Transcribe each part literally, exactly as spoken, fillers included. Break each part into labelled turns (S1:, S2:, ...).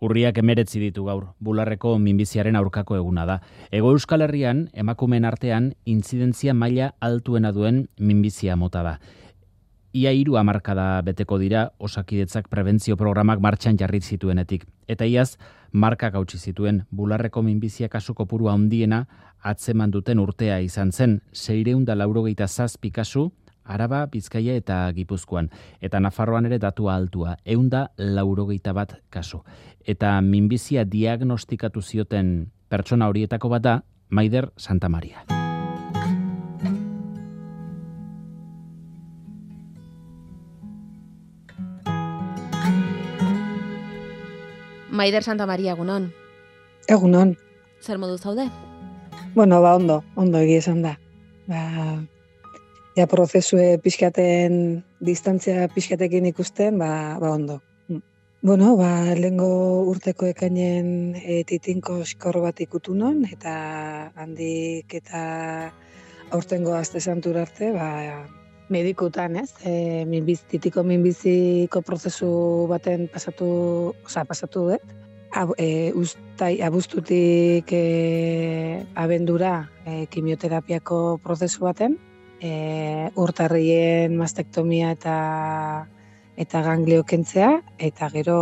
S1: Urriak emeretzi ditu gaur, bularreko minbiziaren aurkako eguna da. Hego Euskal Herrian, emakumeen artean, intzidentzia maila altuena duen minbizia mota da. Ia hiru hamarkada beteko dira Osakidetzak prebentzio programak martxan jarri zituenetik. Eta iaz, markak hautsi zituen bularreko minbizia kasu kopuru handiena atzeman duten urtea izan zen, seiehun eta laurogeita zazpi kasu, Araba, Bizkaia eta Gipuzkoan. Eta Nafarroan ere datua altua, ehun eta laurogeita bat kasu. Eta minbizia diagnostikatu zioten pertsona horietako bat da, Maider Santamaria.
S2: Maider Santamaria, egunon.
S3: Egunon.
S2: Zer modu zaude?
S3: Bueno, ba, ondo, ondo egia esan da. Ba, ja prozesue pixkaten, distantzia pixkatekin ikusten, ba, ba ondo. Bueno, ba, lehengo urteko ekainen e, titinko skor bat ikutu non, eta handik eta aurtengo aste santura arte, ba, medikutan, ez? E, minbiz, titiko minbiziko prozesu baten pasatu, oza, pasatu dut. Ab, e, ustai, abuztutik e, abendura e, kimioterapiako prozesu baten, e, urtarrien mastektomia eta eta ganglio kentzea, eta gero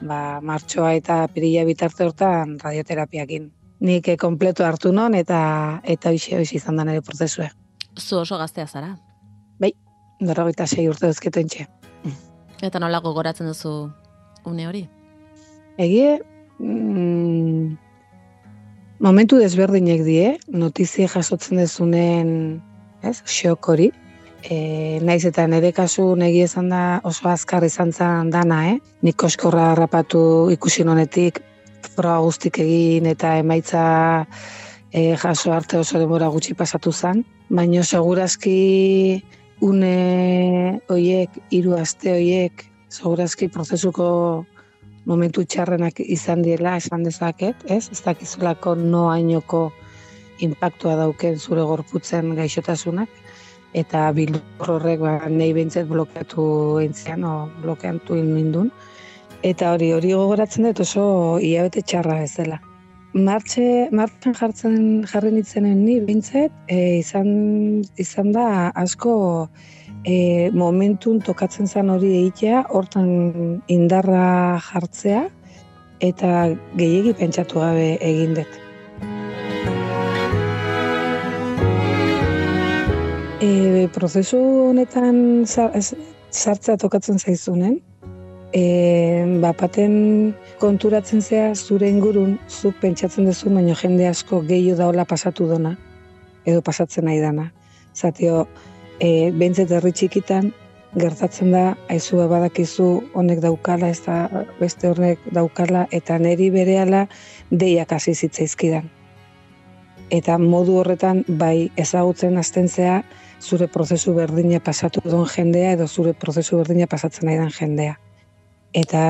S3: ba, martxoa eta pirila bitarte hortan radioterapiakin. Nik e, kompleto hartu non eta eta hoxe hoxe izan da nire prozesua.
S2: Zu oso gaztea zara?
S3: Bai, berrogeita sei urte duzketentxe.
S2: Eta nola gogoratzen duzu une hori?
S3: Egie, mm, momentu desberdinek die, notizia jasotzen dezunen, ez, xok hori. E, naiz eta nire kasu negi esan da oso azkar izan zen dana, eh? Nik koskorra harrapatu ikusi honetik, froga guztik egin eta emaitza e, jaso arte oso denbora gutxi pasatu zen. Baina segurazki une hoiek, hiru aste hoiek, segurazki prozesuko momentu txarrenak izan diela, esan dezaket, ez? Ez dakizulako noainoko inpaktua dauken zure gorputzen gaixotasunak, eta bildur horrek ba, nahi behintzet blokeatu entzean, o blokeatu indun. Eta hori, hori gogoratzen dut oso hilabete txarra ez dela. Martxe, martxan jartzen jarri nitzenen ni behintzet, e, izan, izan da asko e, momentun tokatzen zan hori egitea, hortan indarra jartzea, eta gehiegi pentsatu gabe egin dut. E, prozesu honetan sartzea tokatzen zaizunen, e, bapaten konturatzen zea zure ingurun, zuk pentsatzen duzu, baina jende asko gehiago daola pasatu dona, edo pasatzen nahi dana. Zatio, e, behintzet herri txikitan, gertatzen da, aizu badakizu honek daukala, ez da beste hornek daukala, eta neri berehala deiak hasi zitzaizkidan. Eta modu horretan, bai ezagutzen hasten zea, zure prozesu berdina pasatu duen jendea, edo zure prozesu berdina pasatzen nahi den jendea. Eta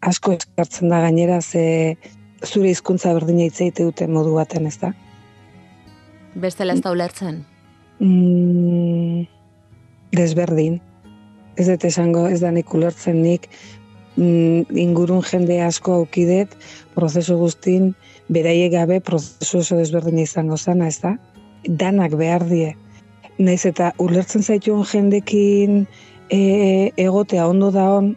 S3: asko eskartzen da gainera, ze zure hizkuntza berdina hitz egite dute modu baten, ez da?
S2: Bestela ez da ulertzen?
S3: Mm, desberdin. Ez dut esango, ez da nik ulertzen nik, mm, ingurun jende asko aukidet, prozesu guztin, beraiek gabe prozesu oso desberdina izango zana, ez da? Danak behar die. Naiz eta ulertzen zaituen jendekin e, egotea ondo da on,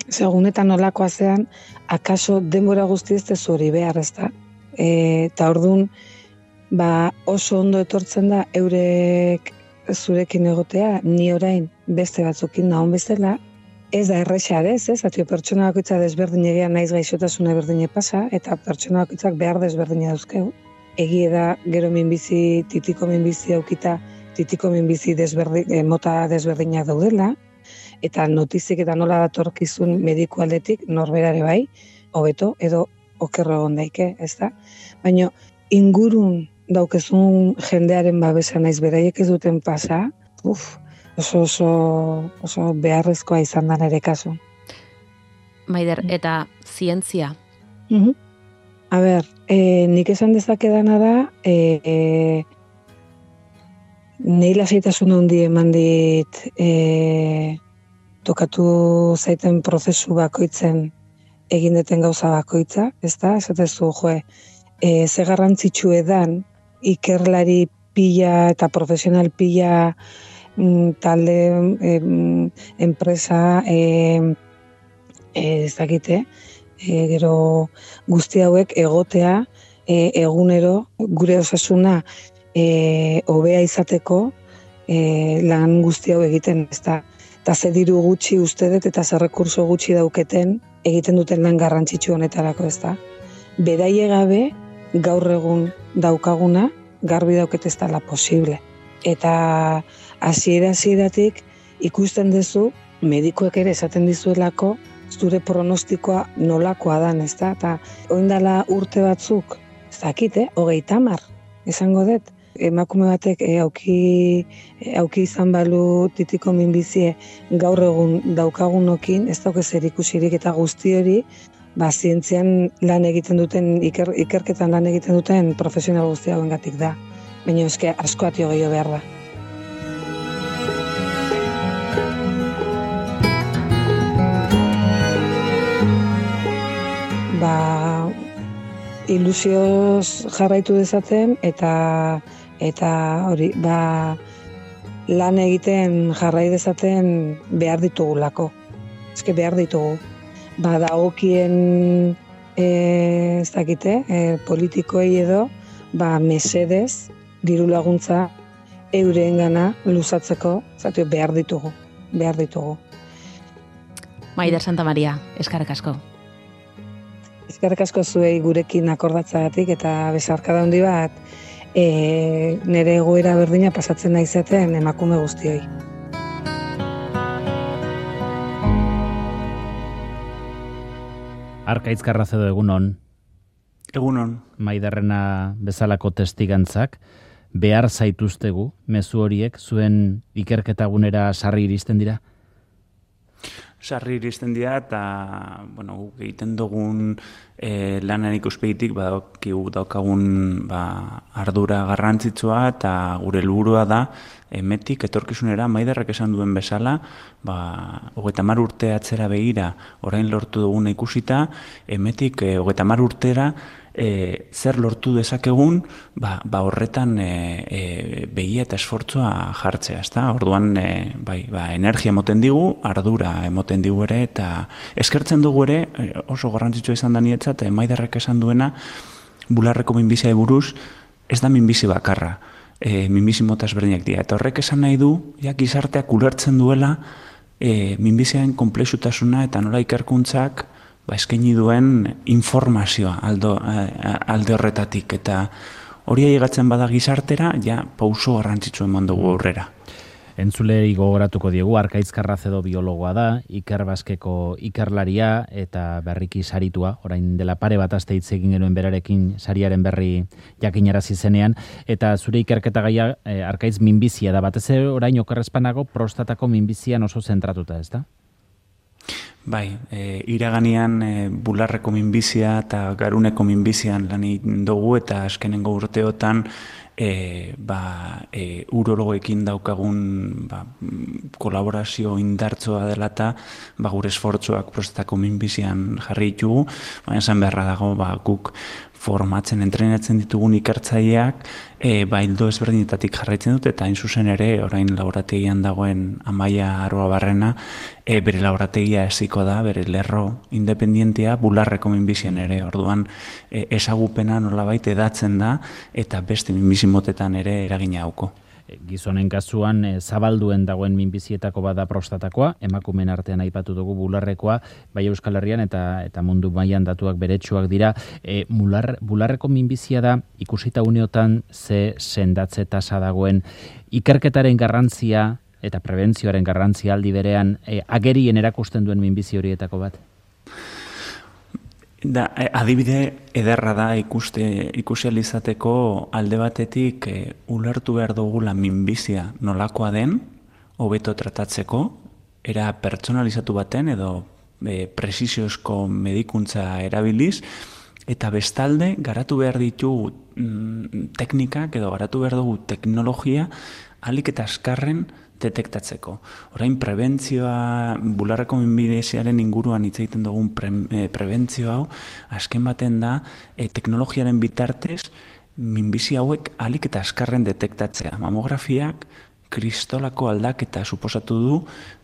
S3: segunetan olakoa zean, akaso denbora guzti ez tezu hori behar, ez da? E, eta orduan, ba, oso ondo etortzen da eurek zurekin egotea, ni orain beste batzukin nahon bezala, ez da erresa ez, ez? Atio pertsona bakoitza desberdin egean naiz gaixotasuna berdine pasa, eta pertsona bakoitzak behar desberdina dauzkeu. Egie da, gero minbizi, titiko minbizi daukita, titiko minbizi desberdin, eh, mota desberdinak daudela, eta notizik eta nola datorkizun mediku aldetik norberare bai, hobeto edo okerro egon daike, ez da? Baina ingurun daukezun jendearen babesa naiz beraiek ez duten pasa, uf, oso oso, oso beharrezkoa izan da nire kasu.
S2: Maider, eta zientzia?
S3: Uh-huh. A ber, e, nik esan dezakedana da, e, e, nahi lasaitasun handi eman dit e, tokatu zaiten prozesu bakoitzen egin deten gauza bakoitza, ez da, esatezu, joe, e, ze garrantzitsu edan ikerlari pila eta profesional pila mm, talde, em, enpresa, em, e, ez dakite, e, gero guzti hauek egotea e, egunero gure osasuna e, hobea izateko e, lan guzti hau egiten, ez da. Eta ze diru gutxi uste dut eta ze rekurso gutxi dauketen egiten duten lan garrantzitsu honetarako, ez da. Beraie gabe gaur egun daukaguna garbi dauket ez dela posible. Eta hasiera hasieratik ikusten duzu medikuek ere esaten dizuelako zure pronostikoa nolakoa dan, ez da? Eta oindala urte batzuk, ez dakit, eh? hogeita hamar, esango dut. Emakume batek e, auki, e, auki izan balu titiko minbizie gaur egun daukagunokin, ez dauke zer ikusirik eta guzti hori, ba, zientzian lan egiten duten, iker, ikerketan lan egiten duten profesional guzti hauengatik da. Baina eske asko atio gehiago behar da. Ba, ilusioz jarraitu dezaten eta eta hori, ba, lan egiten jarrai dezaten behar ditugulako. Eske behar ditugu. Ba, dagokien e, ez dakite, e, politikoei edo, ba, mesedez, diru laguntza eureengana luzatzeko, zatu behar ditugu, behar ditugu.
S2: Maider Santa Maria, eskerrik asko.
S3: Eskerrik asko zuei gurekin akordatzagatik eta besarkada handi bat e, nire egoera berdina pasatzen naizaten emakume guztioi.
S1: Arkaitz Karrazedo, egunon.
S4: Egunon.
S1: Maiderrena bezalako testigantzak, behar zaituztegu, mezu horiek, zuen ikerketagunera sarri iristen dira?
S4: Sarri iristen dira eta, bueno, guk egiten dugun e, lanan ikuspegitik badakigu daukagun ba, ardura garrantzitsua eta gure helburua da emetik etorkizunera Maiderrek esan duen bezala, ba, hogeita hamar urte atzera begira orain lortu duguna ikusita, emetik e, hogeita hamar urtera E, zer lortu dezakegun, ba, ba horretan e, e, begia eta esfortzua jartzea, ezta? Orduan e, bai, ba, energia emoten digu, ardura emoten digu ere, eta eskertzen dugu ere, oso garrantzitsua izan da niretzat, eta Maiderrek esan duena, bularreko minbizia buruz, ez da minbizi bakarra, e, minbizi mota ezberdinak dira, eta horrek esan nahi du, ja, gizarteak ulertzen duela, e, minbiziaren konplexutasuna eta nola ikerkuntzak ba, eskaini duen informazioa aldo, alde horretatik, eta hori ailegatzen bada gizartera, ja, pauso garrantzitsu eman dugu aurrera.
S1: Entzulei gogoratuko diegu, Arkaitz Karrazedo biologoa da, Iker Baskeko ikerlaria eta berriki saritua, orain dela pare bat aste hitz egin genuen berarekin sariaren berri jakinarazi zenean, eta zure ikerketa gaia eh, Arkaitz minbizia da, batez ere orain okerrezpanago prostatako minbizian oso zentratuta, ez da?
S4: Bai, e, iraganean e, bularreko minbizia eta garuneko minbizian lan egin dugu eta azkenengo urteotan e, ba, e, urologoekin daukagun ba, kolaborazio indartsoa dela eta ba, gure esfortzuak prostatako minbizian jarri ditugu, baina esan beharra dago ba, guk formatzen, entrenatzen ditugun ikertzaileak e, ba, ildo ezberdinetatik jarraitzen dut, eta hain zuzen ere, orain laborategian dagoen Amaia Arruabarrena, e, bere laborategia eziko da, bere lerro independientea bularreko minbizian ere, orduan e, ezagupena nolabait edatzen da, eta beste minbizi motetan ere eragina hauko.
S1: Gizonen kasuan e, zabalduen dagoen minbizietako bada prostatakoa, emakumeen artean aipatu dugu bularrekoa, bai Euskal Herrian eta eta mundu mailan datuak beretsuak dira. E, mular, bularreko minbizia da ikusita uneotan ze sendatze tasa dagoen, ikerketaren garrantzia eta prebentzioaren garrantzia aldi berean e, agerien erakusten duen minbizi horietako bat.
S4: Da, adibide ederra da ikuste ikusializateko alde batetik e, ulertu behar dugula minbizia nolakoa den, hobeto tratatzeko, era pertsonalizatu baten edo e, presisiozko medikuntza erabiliz, eta bestalde garatu behar ditu mm, teknikak edo garatu behar dugu teknologia ahalik eta azkarren detektatzeko. Orain prebentzioa, bularreko minbiziaren inguruan hitz egiten dugun pre, e, prebentzio hau, azken baten da, e, teknologiaren bitartez, minbizi hauek alik eta azkarren detektatzea. Mamografiak kristolako aldaketa suposatu du,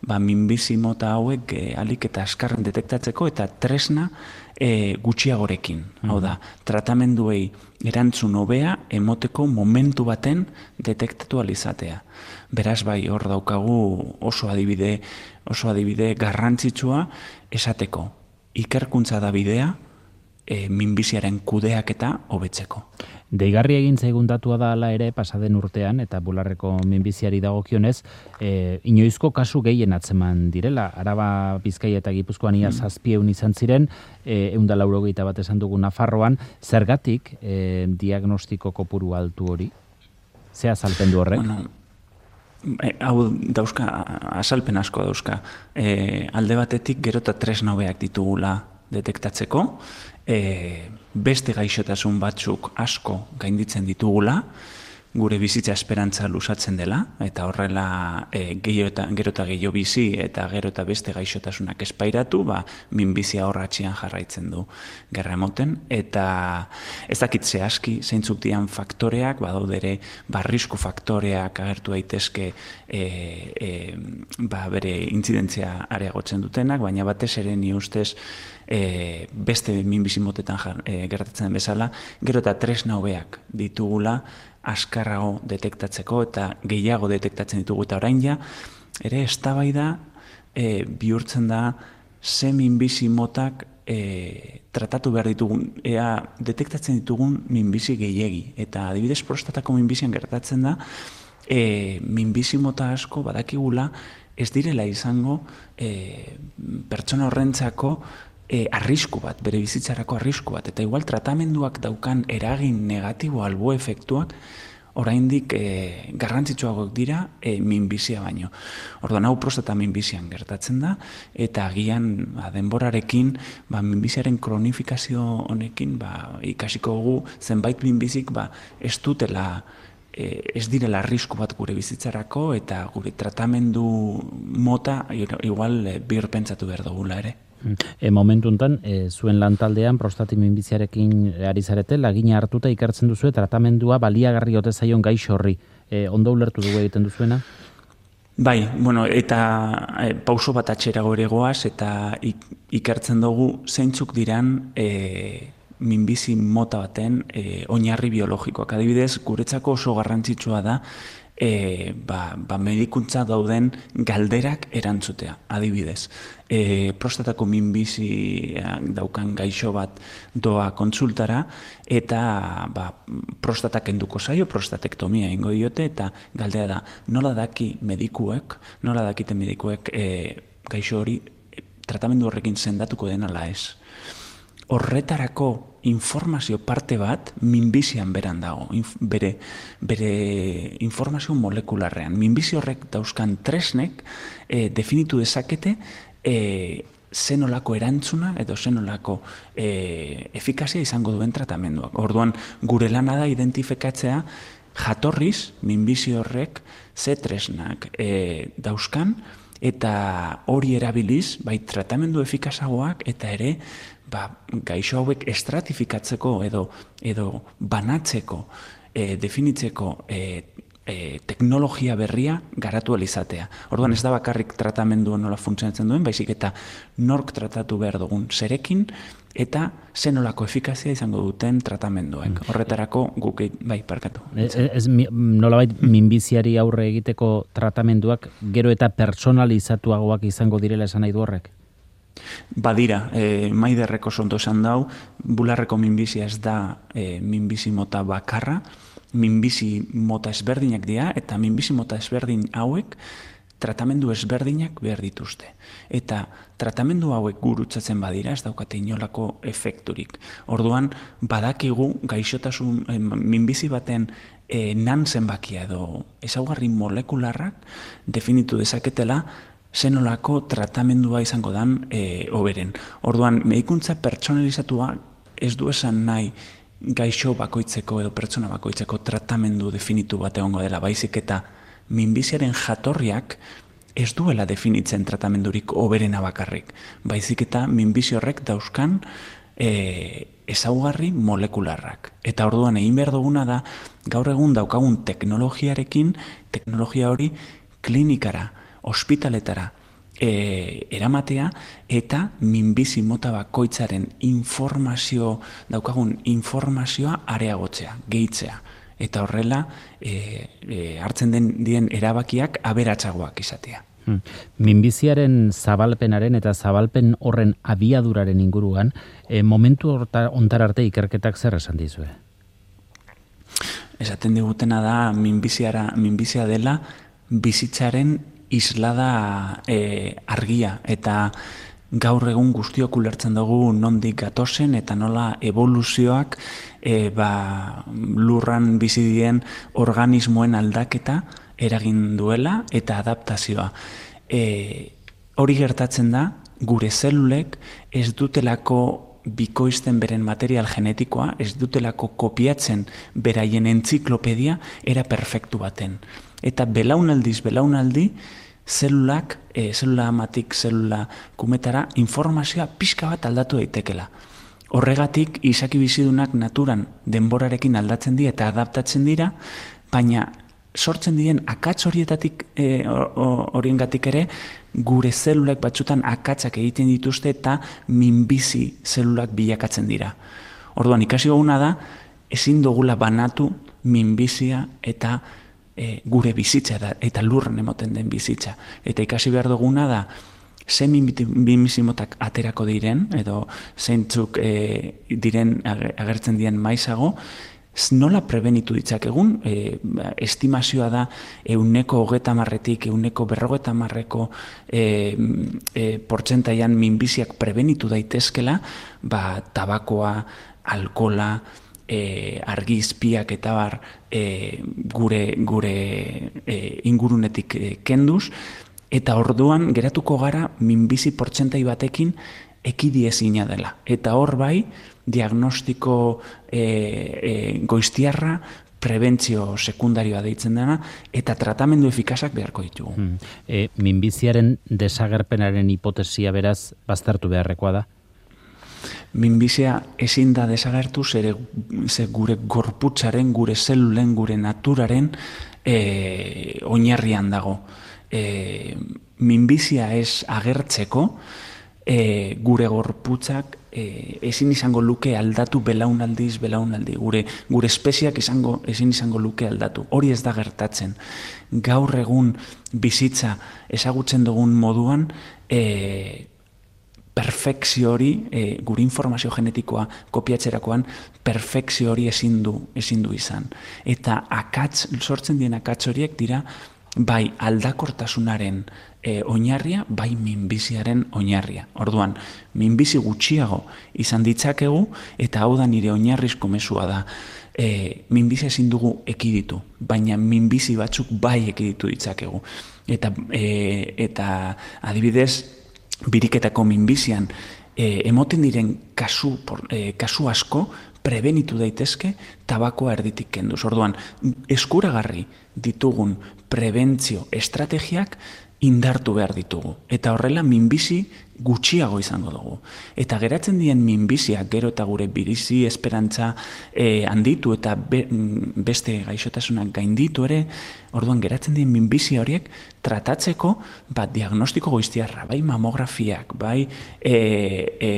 S4: ba, minbizi mota hauek e, alik eta azkarren detektatzeko eta tresna e, gutxiagorekin. Mm. Hau da, tratamenduei erantzun hobea emoteko momentu baten detektatu alizatea. Beraz bai, hor daukagu oso adibide, oso adibide garrantzitsua esateko. Ikerkuntza da bidea, e, minbiziaren kudeaketa hobetzeko.
S1: Deigarri egin zaigun datua da hala ere pasaden urtean eta bularreko minbiziari dagokionez, e, inoizko kasu gehien atzeman direla. Araba, Bizkaia eta Gipuzkoan ia zazpieun izan ziren, e, ehun eta laurogeita bat esan dugu Nafarroan, zergatik e, diagnostiko kopuru altu hori? Ze azalpen du horrek?
S4: Bueno, e, hau dauzka, azalpen asko dauzka. E, alde batetik gero eta tresna hobeak ditugula detektatzeko, e, beste gaixotasun batzuk asko gainditzen ditugula, gure bizitza esperantza lusatzen dela, eta horrela e, gehiago eta, gero eta gehiago bizi eta gero eta beste gaixotasunak espairatu, ba, minbizia horratxian jarraitzen du gerra emoten, eta ez dakit zehazki zeintzuk dian faktoreak, badaude ere barrisku faktoreak agertu daitezke e, e, ba, bere intzidentzia areagotzen dutenak, baina batez ere ni ustez e, beste minbizi motetan jar, e, gertatzen den bezala, gero eta tresna hobeak ditugula, askarrago detektatzeko eta gehiago detektatzen ditugu eta orain ja, ere eztabaida e, bihurtzen da ze minbizi motak e, tratatu behar ditugun, ea detektatzen ditugun minbizi gehiegi. Eta adibidez prostatako minbizian gertatzen da, e, minbizi mota asko badakigula ez direla izango e, pertsona horrentzako E, arrisku bat, bere bizitzarako arrisku bat, eta igual tratamenduak daukan eragin negatibo albo efektuak oraindik e, garrantzitsuagoak dira e, minbizia baino. Orduan hau prostata minbizian gertatzen da, eta agian ba, denborarekin ba, minbiziaren kronifikazio honekin ba, ikasiko dugu zenbait minbizik ba, ez dutela e, ez direla arrisku bat gure bizitzarako eta gure tratamendu mota igual e, birpentsatu behar dugula ere.
S1: E, momentu enten, e, zuen lantaldean prostati minbiziarekin ari zarete, lagina hartuta ikertzen duzu tratamendua baliagarri ote zaion gaixo horri. E, ondo ulertu dugu egiten duzuena?
S4: Bai, bueno, eta e, pauso bat atxerago ere goaz, eta ik, ikertzen dugu zeintzuk diran e, minbizi mota baten e, oinarri biologikoak. Adibidez, guretzako oso garrantzitsua da E, ba, ba medikuntza dauden galderak erantzutea, adibidez. E, prostatako minbizi daukan gaixo bat doa kontsultara eta ba, prostata kenduko zaio, prostatektomia ingo diote eta galdea da, nola daki medikuek, nola dakite medikuek e, gaixo hori e, tratamendu horrekin sendatuko den ala ez. Horretarako informazio parte bat minbizian beran dago, inf, bere, bere informazio molekularrean. Minbizi horrek dauzkan tresnek e, definitu dezakete e, zenolako erantzuna edo zenolako e, efikazia izango duen tratamenduak. Orduan, gure lana da identifikatzea jatorriz minbizi horrek ze tresnak e, dauzkan eta hori erabiliz, bai tratamendu efikazagoak eta ere ba, gaixo hauek estratifikatzeko edo, edo banatzeko, e, definitzeko e, e, teknologia berria garatu alizatea. Orduan ez da bakarrik tratamendu nola funtzionatzen duen, baizik eta nork tratatu behar dugun zerekin eta zenolako efikazia izango duten tratamenduek. Horretarako guk bai parkatu.
S1: Ez, ez nolabait minbiziari aurre egiteko tratamenduak gero eta pertsonalizatuagoak izango direla esan nahi du horrek?
S4: Badira, e, maiderreko sonto esan dau, bularreko minbizia ez da e, minbizi mota bakarra, minbizi mota ezberdinak dira, eta minbizi mota ezberdin hauek tratamendu ezberdinak behar dituzte. Eta tratamendu hauek gurutzatzen badira, ez daukate inolako efekturik. Orduan, badakigu gaixotasun e, minbizi baten e, nan zenbakia edo ezaugarri molekularrak definitu dezaketela zenolako tratamendua izango dan e, oberen. Orduan, medikuntza pertsonalizatua ez du esan nahi gaixo bakoitzeko edo pertsona bakoitzeko tratamendu definitu bat egongo dela, baizik eta minbiziaren jatorriak ez duela definitzen tratamendurik hoberena bakarrik. Baizik eta minbizi horrek dauzkan e, ezaugarri molekularrak. Eta orduan egin behar duguna da, gaur egun daukagun teknologiarekin, teknologia hori klinikara, ospitaletara, E, eramatea eta minbizi mota bakoitzaren informazio, daukagun informazioa areagotzea, gehitzea. Eta horrela e, e, hartzen den dien erabakiak aberatsagoak izatea.
S1: Hmm. Minbiziaren zabalpenaren eta zabalpen horren abiaduraren inguruan, e, momentu hontar arte ikerketak zer esan dizue?
S4: Esaten digutena da minbiziara, minbizia dela bizitzaren islada e, argia, eta gaur egun guztiok ulertzen dugu nondik gatozen eta nola evoluzioak e, ba, lurran bizi dien organismoen aldaketa eragin duela eta adaptazioa. E, hori gertatzen da, gure zelulek ez dutelako bikoizten beren material genetikoa, ez dutelako kopiatzen beraien entziklopedia era perfektu baten. Eta belaunaldiz belaunaldi, zelulak, e, zelula amatik zelula kumetara, informazioa pixka bat aldatu daitekela. Horregatik, izaki bizidunak naturan denborarekin aldatzen dira eta adaptatzen dira, baina sortzen diren akats horietatik e, horiengatik ere, gure zelulak batzutan akatsak egiten dituzte eta minbizi zelulak bilakatzen dira. Orduan, ikasi goguna da, ezin dugula banatu minbizia eta E, gure bizitza da, eta lurren emoten den bizitza. Eta ikasi behar duguna da, ze minbizi motak aterako diren, edo zeintzuk e, diren agertzen diren maizago, nola prebenitu ditzakegun, e, estimazioa da euneko hogeta marretik, euneko berrogeta marreko e, e, portzentaian minbiziak prebenitu daitezkela, ba, tabakoa, alkola, E, argi izpiak eta bar e, gure, gure e, ingurunetik e, kenduz, eta orduan geratuko gara minbizi portzentai batekin ekidiezina dela. Eta hor bai, diagnostiko e, e, goiztiarra, prebentzio sekundarioa deitzen dena, eta tratamendu efikazak beharko ditugu.
S1: Hmm. E, minbiziaren desagerpenaren hipotesia beraz baztertu beharrekoa da?
S4: Minbizia ezin da desagertu, zere, ze gure gorputzaren, gure zelulen, gure naturaren e, oinarrian dago. E, minbizia ez agertzeko, e, gure gorputzak e, ezin izango luke aldatu belaunaldiz, belaunaldi. Gure, gure espeziak izango, ezin izango luke aldatu. Hori ez da gertatzen. Gaur egun bizitza ezagutzen dugun moduan, e, perfekzio hori, e, gure informazio genetikoa kopiatzerakoan, perfekzio hori ezin du, ezin du izan. Eta akats, sortzen dien akats horiek dira, bai aldakortasunaren e, oinarria, bai minbiziaren oinarria. Orduan, minbizi gutxiago izan ditzakegu, eta hau da nire oinarrizko mezua da, e, minbizia ezin dugu ekiditu, baina minbizi batzuk bai ekiditu ditzakegu. Eta, e, eta adibidez, biriketako minbizian e, emoten diren kasu, por, e, kasu asko prebenitu daitezke tabakoa erditik kenduz. Orduan, eskuragarri ditugun prebentzio estrategiak indartu behar ditugu. Eta horrela minbizi gutxiago izango dugu. Eta geratzen dien minbiziak gero eta gure bizi esperantza e, handitu eta be, beste gaixotasunak gainditu ere, orduan geratzen dien minbizi horiek tratatzeko bat diagnostiko goiztiarra, bai mamografiak, bai e, e,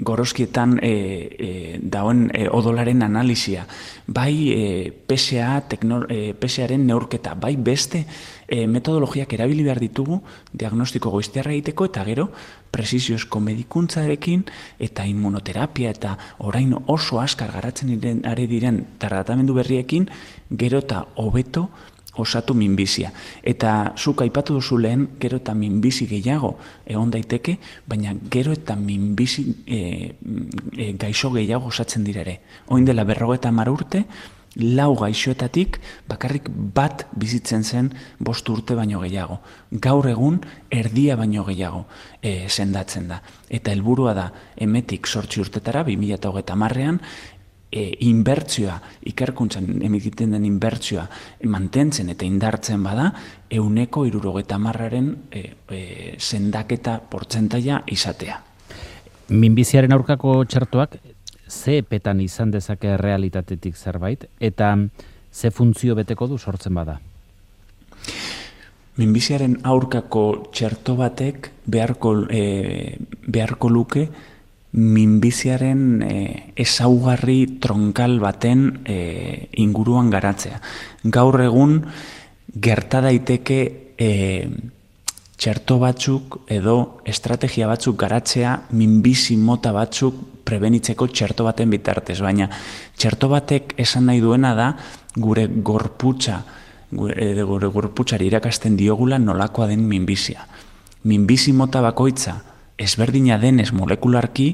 S4: gorozkietan e, e, dauen e, odolaren analizia, bai e, P S A, tekno, e, P S A-ren neurketa, bai beste e, metodologiak erabili behar ditugu diagnostiko goiztiarra egiteko, eta gero presiziozko medikuntzarekin eta immunoterapia eta orain oso askar garatzen diren, ari diren tratamendu berriekin gero eta hobeto osatu minbizia. Eta zuk aipatu duzu lehen, gero eta minbizi gehiago egon daiteke, baina gero eta minbizi e, e, gaixo gehiago osatzen dira ere. Oin dela berrogeta hamar urte, lau gaixoetatik bakarrik bat bizitzen zen bost urte baino gehiago. Gaur egun erdia baino gehiago e, sendatzen da. Eta helburua da, emetik zortzi urtetara, bi mila hogeita hamarrean, e, inbertsioa, ikerkuntzan emikiten den inbertsioa mantentzen eta indartzen bada, euneko irurogeta marraren e, e, sendaketa portzentaia izatea.
S1: Minbiziaren aurkako txertoak ze epetan izan dezake realitatetik zerbait, eta ze funtzio beteko du sortzen bada?
S4: Minbiziaren aurkako txerto batek beharko, e, beharko luke minbiziaren e, ezaugarri tronkal baten e, inguruan garatzea. Gaur egun gerta daiteke e, txerto batzuk edo estrategia batzuk garatzea minbizi mota batzuk prebenitzeko txerto baten bitartez, baina txerto batek esan nahi duena da gure gorputza, gure, gure gorputzari irakasten diogula nolakoa den minbizia. Minbizi mota bakoitza ezberdina denez molekularki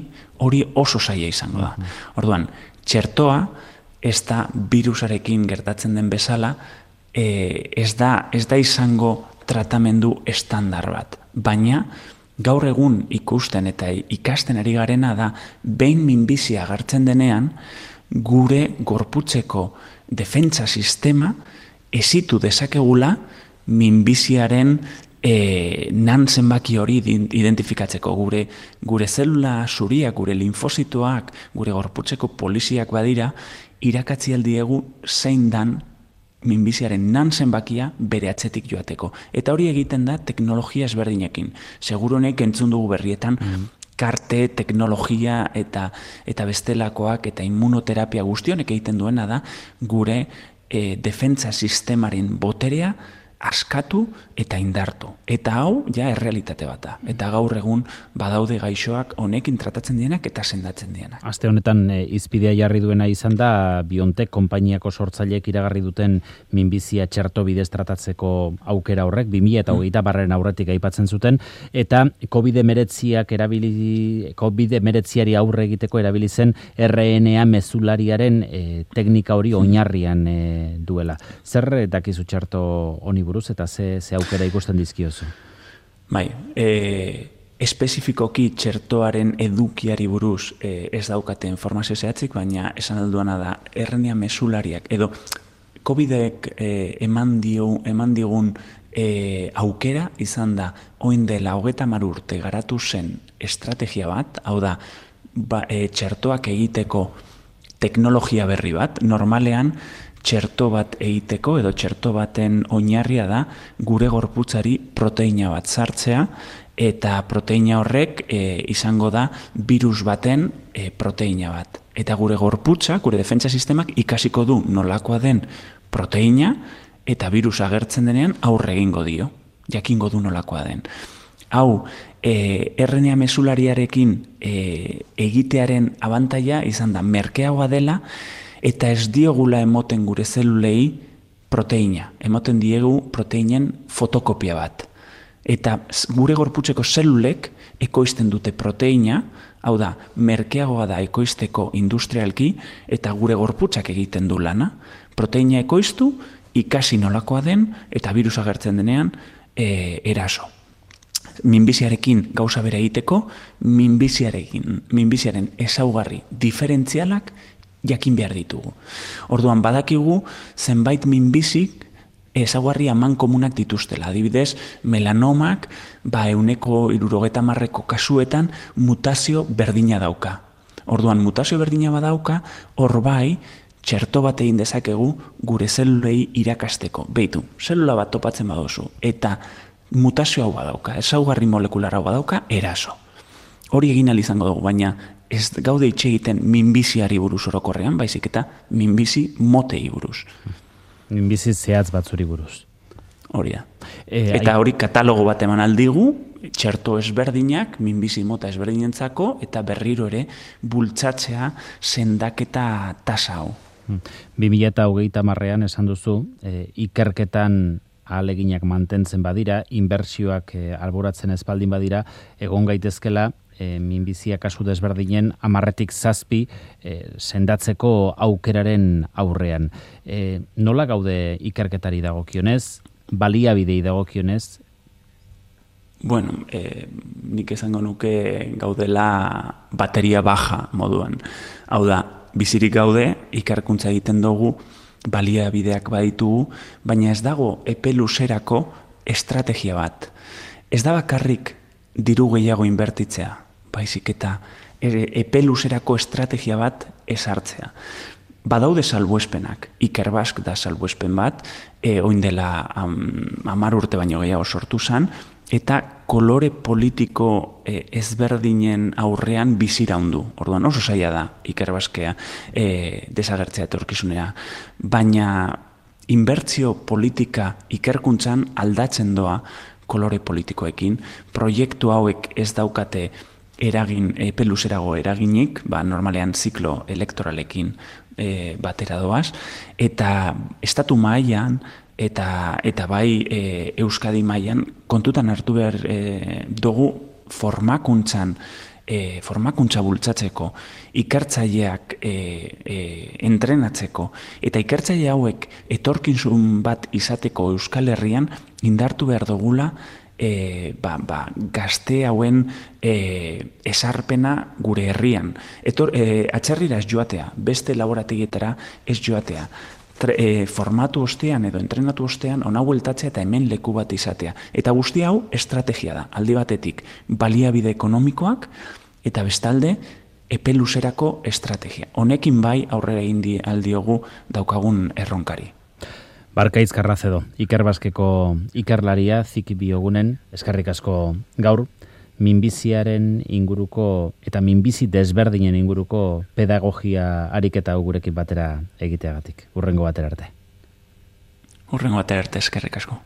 S4: hori oso zaila izango da. Orduan, txertoa ez da virusarekin gertatzen den bezala, e, ez da, ez da izango tratamendu estandar bat. Baina, gaur egun ikusten eta ikasten ari garena da, behin minbizia agertzen denean, gure gorputzeko defentsa sistema ezitu dezakegula minbiziaren e, nan zenbaki hori identifikatzeko. Gure, gure zelula zuriak, gure linfositoak, gure gorputzeko poliziak badira, irakatzi aldiegu zein dan minbiziaren nan zenbakia bere atzetik joateko. Eta hori egiten da teknologia ezberdinekin. Segurunek entzun dugu berrietan, mm. karte, teknologia eta, eta bestelakoak eta immunoterapia guztionek egiten duena da gure e, defentsa sistemaren boterea askatu eta indartu. Eta hau, ja, errealitate bat da. Eta gaur egun badaude gaixoak honekin tratatzen dienak eta sendatzen dienak.
S1: Aste honetan e, izpidea jarri duena izan da, BioNTech konpainiako sortzaileek iragarri duten minbizia txerto bidez tratatzeko aukera horrek, bi mila hogeita barren aurretik aipatzen zuten, eta covid hemeretziak erabili, covid hemeretziari aurre egiteko erabili zen R N A mezulariaren e, teknika hori oinarrian e, duela. Zer dakizu txerto honi buruz eta ze, ze aukera ikusten dizkiozu?
S4: Bai, e, espezifikoki txertoaren edukiari buruz e, ez daukate informazio zehatzik, baina esan alduana da R N A mesulariak edo COVIDek e, eman, dio, eman digun e, aukera izan da oin dela hogeta hamar urte garatu zen estrategia bat, hau da ba, e, txertoak egiteko teknologia berri bat, normalean txerto bat egiteko edo txerto baten oinarria da gure gorputzari proteina bat sartzea eta proteina horrek e, izango da virus baten e, proteina bat. Eta gure gorputza, gure defentsa sistemak ikasiko du nolakoa den proteina eta virus agertzen denean aurre egingo dio, jakingo du nolakoa den. Hau, e, R N A mesulariarekin e, egitearen abantaila izan da merkeagoa dela eta ez diogula emoten gure zelulei proteina. Emoten diegu proteinen fotokopia bat. Eta gure gorputzeko zelulek ekoizten dute proteina, hau da, merkeagoa da ekoizteko industrialki, eta gure gorputzak egiten du lana. Proteina ekoiztu, ikasi nolakoa den, eta virusa agertzen denean, e, eraso. Minbiziarekin gauza bere egiteko, minbiziarekin, minbiziaren ezaugarri diferentzialak jakin behar ditugu. Orduan badakigu zenbait minbizik ezaugarri aman komunak dituztela. Adibidez, melanomak ba euneko hirurogeta hamarreko kasuetan mutazio berdina dauka. Orduan mutazio berdina badauka, hor bai txerto bat egin dezakegu gure zelulei irakasteko. Beitu, zelula bat topatzen baduzu eta mutazio hau badauka, ezaugarri molekular hau badauka, eraso. Hori egin ahal izango dugu, baina ez gaude itxe egiten minbiziari buruz orokorrean, baizik eta minbizi motei buruz.
S1: Minbizi zehatz batzuri buruz.
S4: Hori da. E, eta hori katalogo bat eman aldigu, txerto ezberdinak, minbizi mota ezberdinentzako, eta berriro ere bultzatzea sendaketa tasa hau.
S1: bi mila hogeita hamarrean esan duzu, e, ikerketan ahaleginak mantentzen badira, inbertsioak e, alboratzen espaldin badira, egon gaitezkela, E, minbizia kasu desberdinen hamarretik zazpi e, sendatzeko aukeraren aurrean. E, nola gaude ikerketari dagokionez, baliabidei dagokionez?
S4: Bueno, e, nik esango nuke gaudela bateria baja moduan. Hau da, bizirik gaude, ikerkuntza egiten dugu, baliabideak baditugu, baina ez dago epe luzerako estrategia bat. Ez da bakarrik diru gehiago inbertitzea, baizik eta epe luzerako estrategia bat ezartzea. Badaude salbuespenak, Ikerbask da salbuespen bat, e, oin dela hamar urte baino gehiago sortu zen, eta kolore politiko e, ezberdinen aurrean biziraundu. Orduan oso zaila da Ikerbaskea e, desagertzea etorkizunera. Baina inbertsio politika ikerkuntzan aldatzen doa kolore politikoekin, proiektu hauek ez daukate eragin, epe luzerago eraginik, ba, normalean ziklo elektoralekin e, batera doaz, eta estatu mailan eta, eta bai e, Euskadi mailan kontutan hartu behar e, dugu formakuntzan, e, formakuntza bultzatzeko, ikertzaileak e, e, entrenatzeko, eta ikertzaile hauek etorkizun bat izateko Euskal Herrian indartu behar dugula E, ba, ba, gazte hauen e, esarpena gure herrian. Etor, e, atxerrira ez joatea, beste laborategietara ez joatea. Tre, e, formatu ostean edo entrenatu ostean ona bueltatzea eta hemen leku bat izatea. Eta guzti hau estrategia da, aldi batetik baliabide ekonomikoak eta bestalde epe luzerako estrategia. Honekin bai aurrera indi aldiogu daukagun erronkari.
S1: Barkaitz Karrazedo, Ikerbaskeko ikerlaria Ziki Biogunen, eskerrik asko gaur, minbiziaren inguruko eta minbizi desberdinen inguruko pedagogia ariketa gurekin batera egiteagatik. Hurrengo batera arte.
S4: Hurrengo batera arte, eskerrik asko.